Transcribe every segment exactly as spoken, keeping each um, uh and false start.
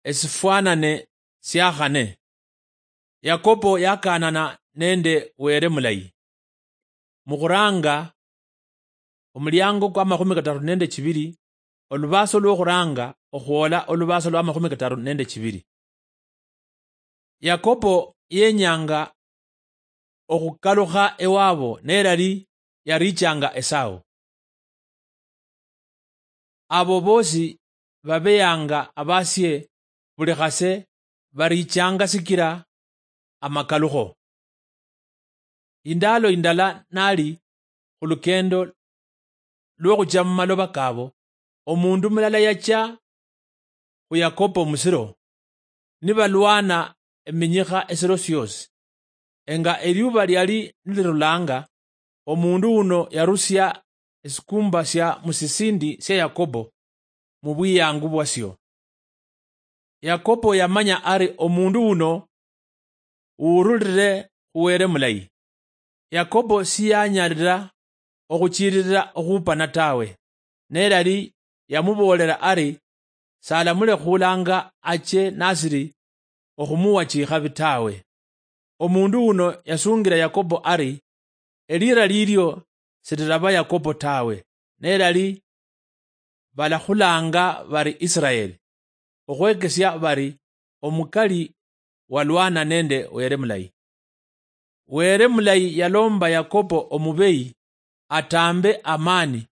Esifwanane siakhane. Yakobo yakaanana nende Wele mulayi. Mukhuranga omuliango kwa makhumi kataru nende chibiri, olubaaso lwokhuranga okhwola olubaaso lwa makhumi kataru nende chibiri. Yakobo yenyanga okhukalukha ewabo, nelali yarichanga Esau. Abo bosi babeyanga abasie buli khase barichanga sikila amakalukho. Indalo indala nali khulukendo lwokhucha mumaloba kabo, omundu mulala yachia khu Yakobo musiro, nibalwana eminyikha esiro siosi. Enga eliuba liali nilirulanga, omundu uno yarusia esikumba sia musisindi sia Yakobo mubwiyangu bwasio. Yakobo yamanya ari omundu uno uwurulire khu Wele mulayi. Yakobo siyanyalira okhuchililila okhupana tawe, nelali yamuboolera ari salamule khulanga ache nasiri okhumuwa chikhabi tawe. Omundu uno yasungila Yakobo ari, elira lilio sililaba Yakobo tawe, nelali balakhulanga bari Israeli, okhwekesia bari omukali walwana nende Wele mulayi. Wele mulayi yalomba Yakobo omubeyi atambe amani,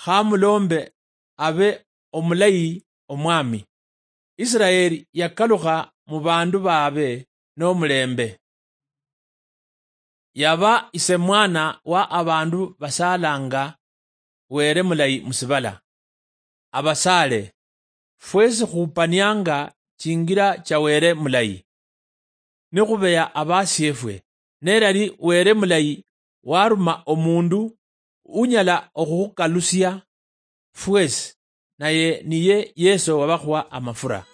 khamulombe abe omulayi omwami. Israeli yakalukha mubandu babe nomulembe. Yaba isemwana wa abandu basalanga Wele mulayi musibala. Abasaale, fwesi khupanianga chingira cha Wele mulayi, nikhubeya abasiefwe, nelali Wele mulayi waruma omundu unyala okhukhukalusia fwesi, naye niye Yeso wabakhuwa amafura.